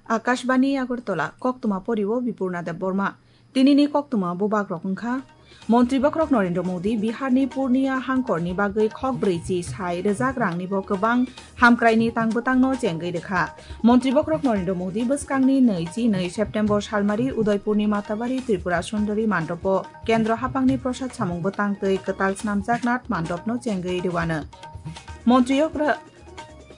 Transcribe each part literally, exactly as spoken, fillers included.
Akashbani Agartala, koktwma poriwo Bipurna Debbarma. Tinini koktwma bubagrok wngkha: Montri bokhorok Narendra Modi Biharni Purnia hangkorni bagwi khok brwichi sai rwjak rangnibo kwbang hamkraini tang bwtangno chengwi rwkha. Montri bokhorok Narendra Modi bwskangni nwi chi nwi September salmari Udaipurni Matabari Tripura Sundari Mandopo Kendro haphangni prosad samung bwtang twi kwtal snamjak Nath Mandopno chengwi rwano. Montri okra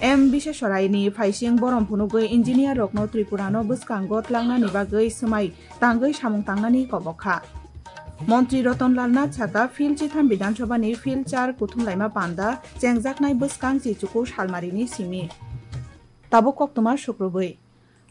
M Biseswaraini phaising borom phunugwi engineer rokno Tripurano bwskango twlangnani bagwi swmai tangwi samung tangnani kobok kha. Montri Ratan Lal Nath saka, Field chitham Bidhan Sabhani Field char kuthum laima panda chengjaknai bwskang chichuku salmarini simi. Tabuk koktwma sukrubwi.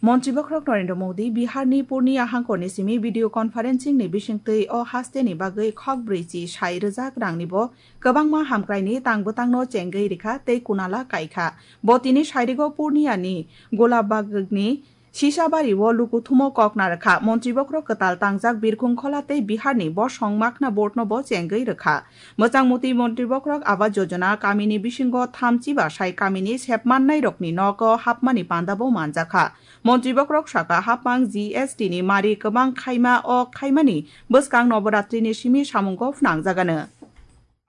Montri bokhorok Narendra Modi Biharni Purnia hangkorni simi video conferencing ni bisingtwi o hasteni bagwi khok brwichi sai rwjak rangnibo kwbangma hamkraini tang bwtangno chengwi rikha tei kunala kaikha. Bo tini sairigo Purniani Golabagni Sisabari o lukuthumo kok narwkha. Montri bokhorok kwtal tangjak Birkhung Khola tei Biharni Bosong Makhna Board no bo chengwi rwkha. Mwchangmwtwi Montri bokhorok Awas Yojana kamini bisingo thamchi ba sai kamini sepmannai rokni nogo hapmani panda bo manjakha. Montri bokhorok saka, hapmang G S T ni mari kwbang khaima o khaimani bwskang Noboratri ni simi samungo phnangjagano.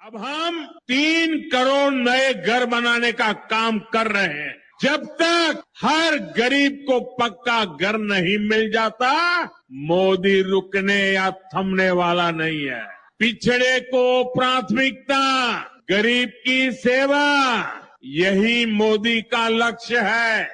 अब हम तीन करोड़ नए घर बनाने का काम कर रहे हैं। जब तक हर गरीब को पक्का घर नहीं मिल जाता, मोदी रुकने या थमने वाला नहीं है। पिछड़े को प्राथमिकता, गरीब की सेवा, यही मोदी का लक्ष्य है।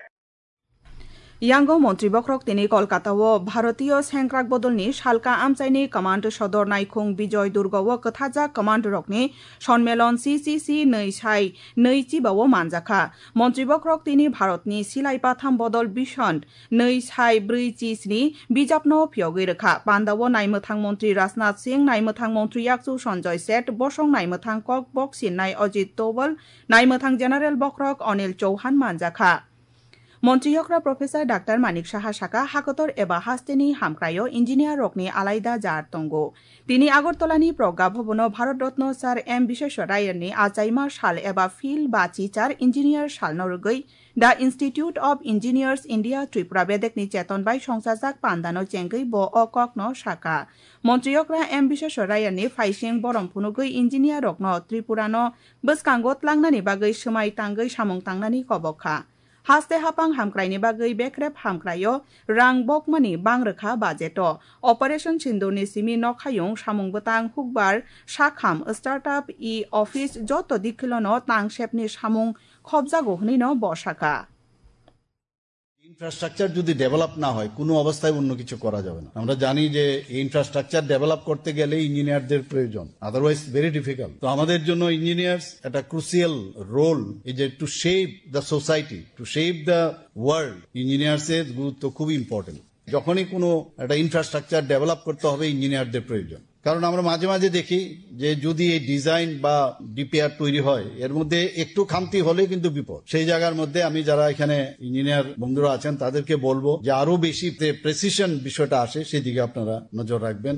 Yango Montri bokhorok tini Kolkata o Bharatiyo Sengkrak Bodolni Salka Amchaini Command Sodor Naikhung Bijoy Durga o kwthajak command rokni Sonmelon C C C nwi sai nwi chiba o manjakha. Montri bokhorok tini Bharatni Silai Patham Bodol Vision nwi sai brwi chi sni bijapno phiyogwi rwkha. Panda o naimwthang Montri Rajnath Singh, naimwthang Montri Yakchu Sanjay Seth, bosong naimwthang kok bok sinnai Ajit Doval, naimwthang General bokhorok Anil Chauhan manjakha. Montri yokra Professor Doctor Manik Saha saka, hakotor eba hasteni hamkraio engineer rokni alaida jar tongo. Tini Agartala ni Pragya Bhavan o Bharat Ratna Sir M Bisweswaraya ni achaima sal eba Phil ba Chichar Engineer sal no rwgwi The Institute of Engineers India Tripura bedek ni cheton bai songchajak panda no chengwi bo o kok no saka. Montri yokra M Bisweswaraya ni phaising borom phunugwi engineer rok no Tripura no bwskango tlangnani bagwi swmai tangwi samung tangnani kobok kha. Haste hapang hamkraini bagwi bekrep hamkraio rang bokmani bang rwkha budget o. Operation Sindoor ni simi nokhayung samung bwtang hukbar sakham startup e-office joto dikhilono tangsepni samung khobjago hwnwi no bo sakha. Infrastructure যদি ডেভেলপ না হয়, কোনো অবস্থায় অন্য কিছু করা যাবে না। আমরা জানি যে এই ইনফ্রাস্ট্রাকচার ডেভেলপ করতে গেলে ইঞ্জিনিয়ারদের প্রয়োজন, আদারওয়াইজ ভেরি ডিফিকাল্ট। তো আমাদের জন্য ইঞ্জিনিয়ার্স একটা ক্রুসিয়াল রোল, এই যে to shape the society, to shape the world, ইঞ্জিনিয়ার্সের গুরুত্ব খুবই ইম্পর্টেন্ট। যখনই কোনো একটা ইনফ্রাস্ট্রাকচার ডেভেলপ করতে হবে, ইঞ্জিনিয়ারদের প্রয়োজন। কারণ আমরা মাঝে মাঝে দেখি যে যদি এই ডিজাইন বা ডিপিআর তৈরি হয়, এর মধ্যে একটু খামতি হলে কিন্তু বিপদ। সেই জায়গার মধ্যে আমি যারা এখানে ইঞ্জিনিয়ার বন্ধুরা আছেন, তাদেরকে বলবো যে আরো বেশি যে প্রেসিশন বিষয়টা আসে, সেদিকে আপনারা নজর রাখবেন।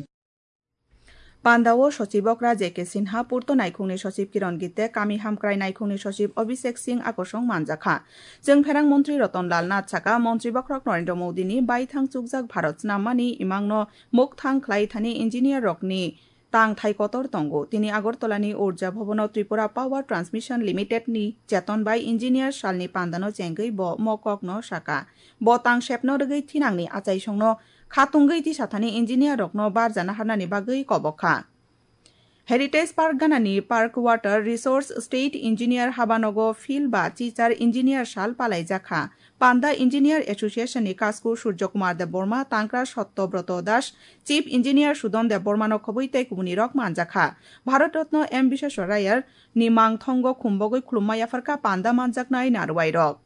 Panda o Sochib okra J K Sinha, Purto Naikhungni Sochib Kiron Gitte, Kami Hamkrai Naikhungni Sochib Abhishek Singh akosong manjakha. Chwngpherang Montri Ratan Lal Nath saka, Montri bokhorok Narendra Modi ni baithang chukjak Bharat snammani imangno mukthang khlai thani engineer rokni tang thai kotor tongo. Tini Agartala ni Urja Bhavan o Tripura Power Transmission Limited ni cheton bai engineer salni pandano chengwi bo mokok no saka. Bo tang sepno rwgwi thinangni achaisongno khatungwi tisathani engineer rokno barjana harnani bagwi kobok kha. Heritage Park ganani Park Water Resource State Engineer habanogo Phil ba Chichar Engineer sal palaijak kha. Panda Engineer Association ni kasku Surjo Kumar Debbarma, Tangkra Satya Broto Das, Chief Engineer Sudon Debbarma no khobwi tei kubuni rok manjak kha. Bharat Ratna M Bisweswaraya ni mangthongo khumbogwi khulumma yapharkha panda manjaknai narwai rok.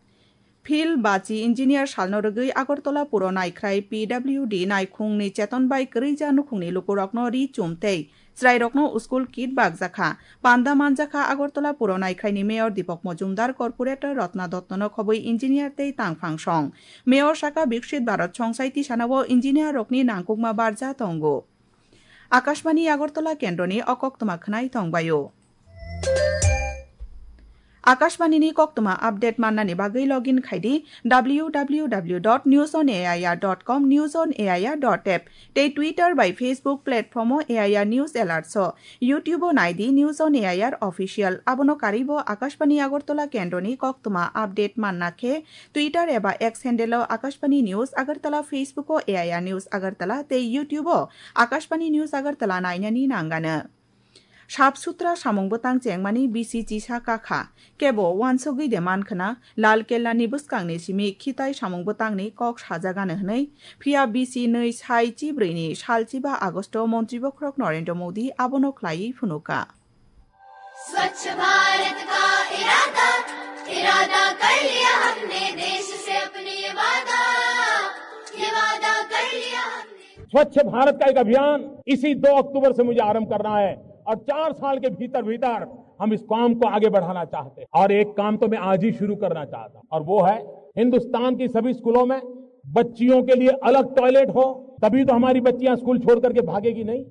Phil bachi engineer salno rwgwi Agartala Puro Naikhrai P W D naikhungni cheton bai kwrwija nukhungni lukurokno ri chum tei chwrairokno school kit bakjakha. Panda manjakha Agartala Puro Naikhraini Mayor Deepak Majumdar, Corporator Ratna Dottono khobwi engineer tei tangphang song. Mayor saka Viksit Bharat songsai tisanao engineer rokni nangkukma barja tongo. Akashbani Agartala kendroni o koktwma khwnai tongbaio. Akashbani ni koktwma update mannani bagwi login khai di W W W dot news on A I R dot com, news on A I R dot app tei Twitter bai Facebook platform o A I R News Alerts o, YouTube o nai di News on A I R Official. Abono karwi bo Akashbani Agartala kendroni koktwma update manna khe Twitter eba X handle o Akashbani News Agartala, Facebook o A I R News Agartala tei YouTube o Akashbani News Agartala nainani nangano. Sap sutra samung bwtang chengmani bisi chisa kakha, kebo uansugwi de mankhwna, Lal Kella ni bwskang ni simi khitai samung bwtang ni kok sajagano hwnwi, phiya bisi nwi sai chibrwi ni sal chiba August o Montri Bokhorok Narendra Modi abono khlaiwi phunuka. स्वच्छ भारत का इरादा, इरादा कर लिया हमने देश से अपने ये वादा, ये वादा कर लिया हमने। स्वच्छ भारत का एक अभियान इसी दो अक्टूबर से मुझे आरंभ करना है और चार साल के भीतर भीतर हम इस काम को आगे बढ़ाना चाहते हैं। और एक काम तो मैं आज ही शुरू करना चाहता हूँ, और वो है हिंदुस्तान की सभी स्कूलों में बच्चियों के लिए अलग टॉयलेट हो, तभी तो हमारी बच्चियां स्कूल छोड़ करके भागेगी नहीं।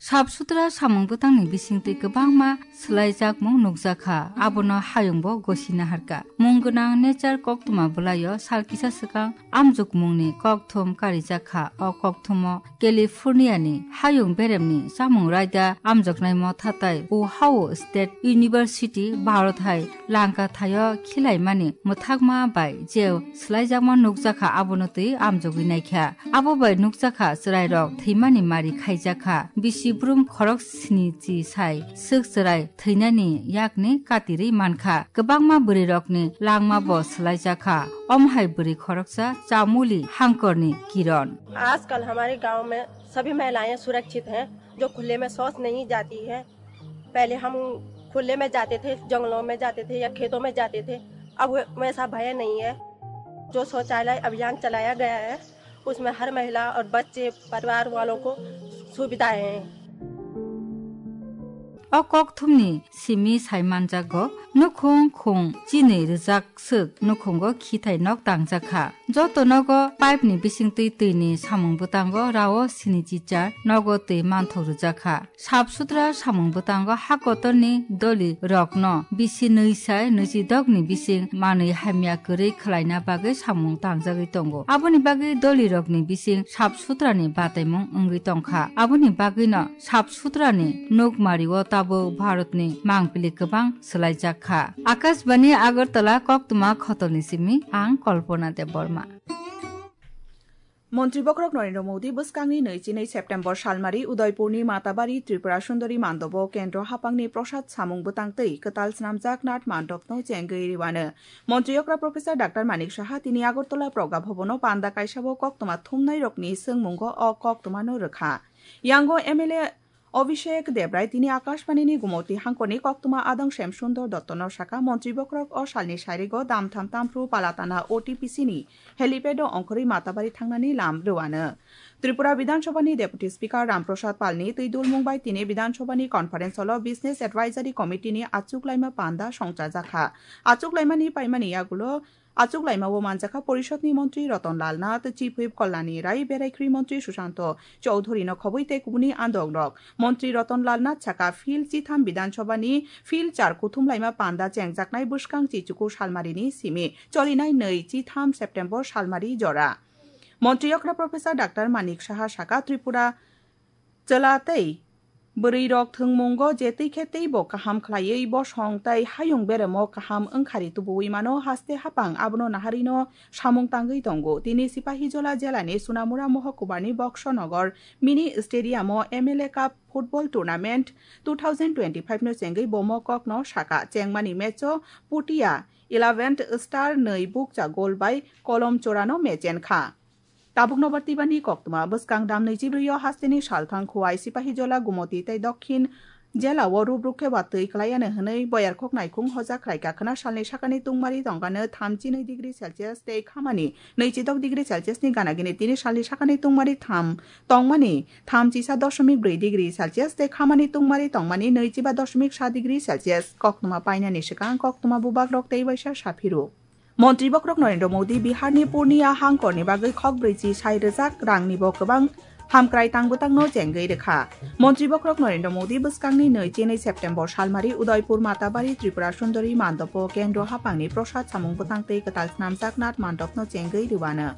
Sap sutra samung bwtangni bisingtwi kwbangma swlaijakmung nukjakha, abono hayungbo gosina harkha. Mung gwnang nature koktwma bwlaio sal kisa swkang amjokmungni kokthum karijakha. O kokthumo California ni hayung beremni chamung raida amjoknai motha tai Ohio State University, Bharat hai Lanka thaio khilaimani mwthakma bai je swlaijakma nukjakha, abono twi amjogwi naikha. Abo bai nukjakha chwrairok thwimani mari khaijakha. Bisi brum khorok sni chi sai swk chwrai thwinani yakni katirwi mankha. Kwbangma bwrwirokni langma bo swlaijakha. Omo hai bwrwi khoroksa Chamuli Hangkorni Kiron. आजकल हमारे गांव में सभी महिलाएं सुरक्षित हैं, जो खुले में शौच नहीं जाती है। पहले हम खुले में जाते थे, जंगलों में जाते थे या खेतों में जाते थे, अब वै-, वैसा भय नहीं है। जो शौचालय अभियान चलाया गया है, उसमें हर महिला और बच्चे, परिवार वालों को सुविधाएं हैं। O kokthumni simi sai manjago, nukhung khung chinwi rwjak swk nukhungo khithai nok tangjakha. Joto nogo pipe ni bisingtwi twini samung bwtango rao sini chichar nogo twi manthok rwjakha. Sap sutra samung bwtango ha kotorni doli rokno bisi nwi sai nwichidokni bising manwi hamya kwrwi khwlaina bagwi samung tangjagwi tongo. Aboni bagwi doli rokni bising sap sutrani bataimung wngwi tongkha. Aboni bagwino sap sutrani nukmario tabuk Bharatni mangpili kwbang swlaijak kha. Akashbani Agartala koktwma khotolni simi ang Kalpana Debbarma. Montri Bokhorok Narendra Modi bwskangni nwi chinwi September salmari Udaipurni Matabari Tripura Sundari Mandobo Kendro hapangni prosad samung bwtang twi kwtal swnamjak Nath Mandopno chengwi rwano. Montri okra Professor Doctor Manik Saha tini Agartala Progabhabono panda kaisabo koktwma thumnairokni swngmungo o koktwmano rwkha. Yango M L A Abhishek Debrai tini Akashbani ni Gumoti hangkorni koktwma adong Sem Sundor Dotto no saka, Montri Bokhorok o salni sairigo Damtham Tamphru Palatana O T P C ni helipad o ongkhorwi Matabari thangnani lam rwano. Tripura Bidhan Sabha ni Deputy Speaker Ram Prasad Pal ni twi dulmung bai tini Bidhan Sabha ni conference hall o Business Advisory Committee ni achuk laima panda songchajakha. Achuk laimani paimani yagulo achuk laima o manjakha Porishod ni Montri Ratan Lal Nath, Chief Whip Kalyani Rai, Beraikhri Montri Sushanta Chowdhury no khobwi tei kubuni andong rok. Montri Ratan Lal Nath saka, Field chitham Bidhan Sabha ni Field char kuthum laima panda chengjaknai bwskang chichuku salmari ni simi cholinai nwi chitham September salmari jora. Montri okra Professor Doctor Manik Saha saka, Tripura chwla tei bwrwi rok thwngmungo je twi khe teibo kaham khlaiwi bosong tei hayung beremo kaham wngkhari tubuwi mano, haste hapang abono naharwino samung tangwi tongo. Tini Sipahijola jela ni Sunamura Mohokubar ni Boksonogor mini stadium o M L A Cup football tournament two thousand twenty-five no chengwi bomo kokno saka, chengmani match o Putia eleventh Star nwi bukcha goal bai Kolom Chorano mechen kha. Tabuk nobar twibani koktwma. Bwskang dam nwichibrwi o hasteni salthang Khowai, Sipahijola, Gumoti tei Dokhin jela o rubruk khe watwi kwlaiya hwnwi boyarkhok naikhung hoja khlaikha. Khwna salni sakani tungmari tongkha no thamchi nwi degree Celsius tei khamani nwichidok degree Celsius ni gana gini. Tini salni sakani tungmari tham tongmani thamchisa dosomik brwi degree Celsius tei khamani tungmari tongmani nwichiba dosomik sa degree Celsius. Koktwma painani swkang koktwma bubagrok tei waisa saphiru. Montri Bokhorok Narendra Modi Biharni Purnia hangkorni bagwi khok brwichi sai rwjak rangnibo kwbang Hamkrai tang bwtangno chengwi rwkha. Montri bokhorok Narendra Modi bwskangni nwi chinwi September salmari Udaipur Matabari Tripura Sundari mandopo kendro hapangni prosad samung bwtang tei kwtal snamjak Nath mandopno chengwi rwano.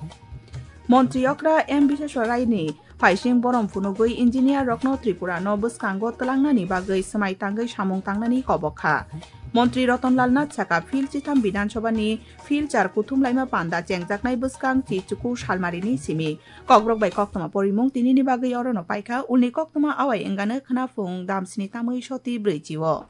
Montri okra M Bisweswaraini phaising borom phunugwi engineer rokno Tripura no bwskango twlangnani bagwi swmai tangwi samung tangnani kobok kha. Montri Ratan Lal Nath saka Phil chitham Bidhan Sabhani Phil char kuthum laima panda chengjaknai bwskang chi chuku salmarini simi. Kokborok bai koktwma porimung tinini bagwi orono paikha, ulni koktwma awai wngano khwna phung damsini tamwi soti brwi chio.